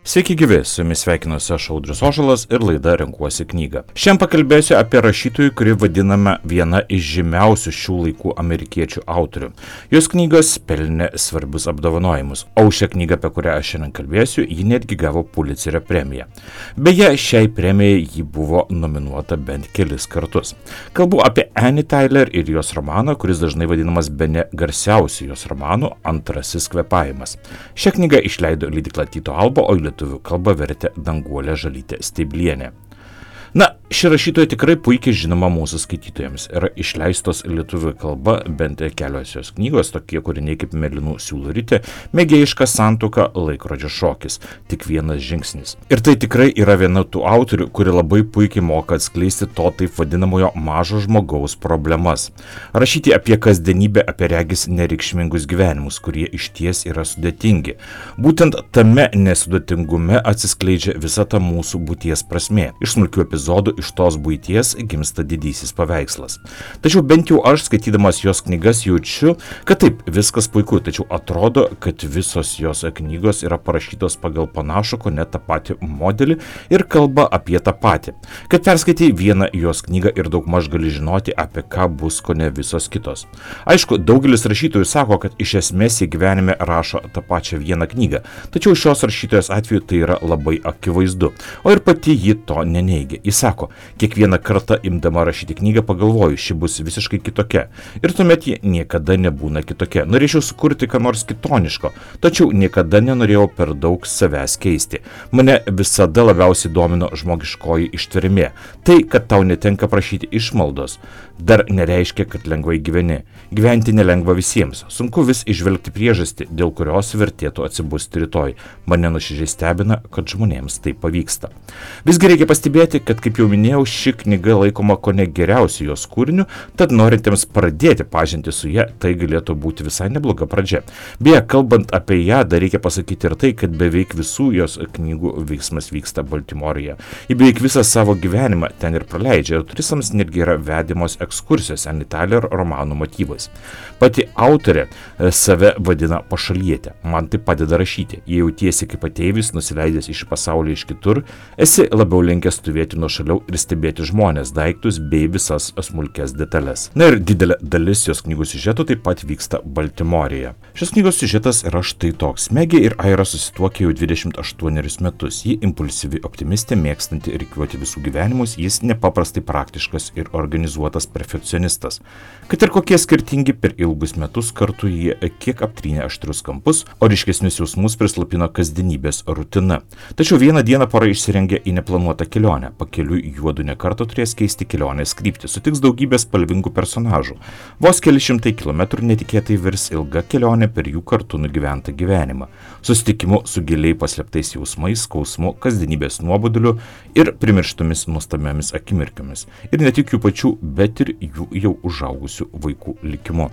Sveiki gyvi, su jumis sveikinuosi aš Audrius Ožalas ir laida Renkuosi knygą. Šiandien pakalbėsiu apie rašytojų, kuri vadinama viena iš žymiausių šių laikų amerikiečių autorių. Jos knygos pelnė svarbius apdovanojimus, o šią knygą, apie kurią aš šiandien kalbėsiu, ji netgi gavo Pulitzerio premiją. Beje, šiai premijai ji buvo nominuota bent kelis kartus. Kalbu apie Annie Tyler ir jos romaną, kuris dažnai vadinamas bene garsiausiu jos romanu Antrasis kvėpavimas. Šią knygą išleido leidykla Tyto Alba, o lietuvių kalbą vertė Danguolė Žalytė Steiblienė. Na, ši rašytoja tikrai puikiai žinoma mūsų skaitytojams. Yra išleistos lietuvių kalba bent kelios jos knygos, tokie kūriniai kaip Mėlynų siūlų ritė, Mėgėjiška santuoka, Laikrodžio šokis. Tik vienas žingsnis. Ir tai tikrai yra viena tų autorių, kuri labai puikiai moka atskleisti to taip vadinamojo mažo žmogaus problemas. Rašyti apie kasdienybę, apie regis nereikšmingus gyvenimus, kurie išties yra sudėtingi. Būtent tame nesudėtingume atsiskleidžia visa ta mūsų būties prasmė. Iš smulkių epizodų iš tos buities gimsta didysis paveikslas. Tačiau bent jau aš, skaitydamas jos knygas, jaučiu, kad taip, viskas puiku, tačiau atrodo, kad visos jos knygos yra parašytos pagal panašų, ko ne tą patį modelį ir kalba apie tą patį. Kad perskaitai vieną jos knygą ir daugmaž gali žinoti, apie ką bus ko ne visos kitos. Aišku, daugelis rašytojų sako, kad iš esmės jie gyvenime rašo tą pačią vieną knygą, tačiau šios rašytojos atveju tai yra labai akivaizdu, o ir pati ji to neneigia. Jis sako, kiekvieną kartą imdama rašyti knygą pagalvoju, ši bus visiškai kitokia. Ir tuomet ji niekada nebūna kitokia. Norėčiau sukurti ką nors kitoniško, tačiau niekada nenorėjau per daug savęs keisti. Mane visada labiausiai domino žmogiškoji ištvermė. Tai, kad tau netenka prašyti išmaldos, dar nereiškia, kad lengvai gyveni. Gyventi nelengva visiems. Sunku vis išvelgti priežastį, dėl kurios vertėtų atsibusti rytoj. Mane nuoširdžiai stebina, kad žmonėms tai pavyksta. Visgi reikia pastebėti, kad, kaip jau minėjau, ši knyga laikoma kone geriausiu jos kūriniu, tad norintiems pradėti pažinti su ja, tai galėtų būti visai nebloga pradžia. Beje, kalbant apie ją, dar reikia pasakyti ir tai, kad beveik visų jos knygų veiksmas vyksta Baltimorėje. Ji beveik visą savo gyvenimą ten ir praleidžia, ir turistams netgi yra vedimos ekskursijos Annie Tyler romanų motyvais. Pati autorė save vadina pašalietė. Man tai padeda rašyti. Jei jautiesi kaip ateivis, nusileidęs iš pasaulio iš kitur, esi labiau linkęs stovėti nuo šaliau ir stebėti žmonės, daiktus bei visas smulkes detalės. Na ir didelė dalis jos knygų siužeto taip pat vyksta Baltimorėje. Šios knygos siužetas yra štai toks. Megė ir Aira susituokė jau 28 metus. Ji impulsyvi optimistė, mėgstanti rikiuoti visų gyvenimus, jis nepaprastai praktiškas ir organizuotas perfekcionistas. Kad ir kokie skirtingi, per ilgus metus kartu jie kiek aptrynė aštrius kampus, o ryškesnius jausmus prislopino kasdienybės rutina. Tačiau vieną dieną pora išsirengė į neplanuotą kelionę. Pakeliui juodu nekarto turės keisti kelionės kryptį, sutiks daugybės spalvingų personažų. Vos keli šimtai kilometrų netikėtai virs ilga kelionė per jų kartu nugyventą gyvenimą. Susitikimu su giliai paslėptais jausmais, skausmu, kasdienybės nuoboduliu ir primirštomis nuostabiomis akimirkomis. Ir ne tik jų pačių, bet ir jų jau užaugusių vaikų likimu.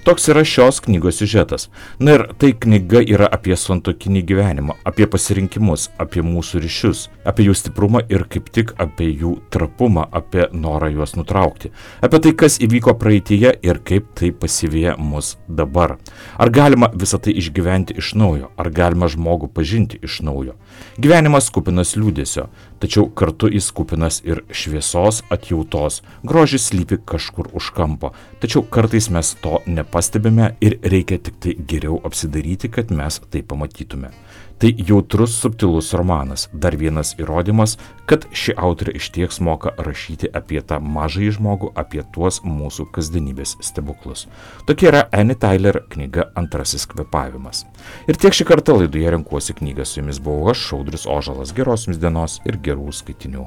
Toks yra šios knygos siužetas. Na ir tai knyga yra apie santuokinį gyvenimą, apie pasirinkimus, apie mūsų ryšius, apie jų stiprumą ir kaip tik apie jų trapumą, apie norą juos nutraukti, apie tai, kas įvyko praeityje ir kaip tai pasivyja mus dabar. Ar galima visą tai išgyventi iš naujo, ar galima žmogų pažinti iš naujo. Gyvenimas kupinas liūdesio, tačiau kartu jis kupinas ir šviesos, atjautos. Grožis slypi kažkur už kampo, tačiau kartais mes to nepastebime ir reikia tik tai geriau apsidaryti, kad mes tai pamatytume. Tai jautrus, subtilus romanas, dar vienas įrodymas, kad ši autorė išties moka rašyti apie tą mažąjį žmogų, apie tuos mūsų kasdienybės stebuklus. Tokia yra Annie Tyler knyga Antrasis kvėpavimas. Ir tiek šį kartą laidoje Renkuosi knygą. Su jumis buvau aš, Audrius Ožalas. Geros jums dienos ir gerų skaitinių.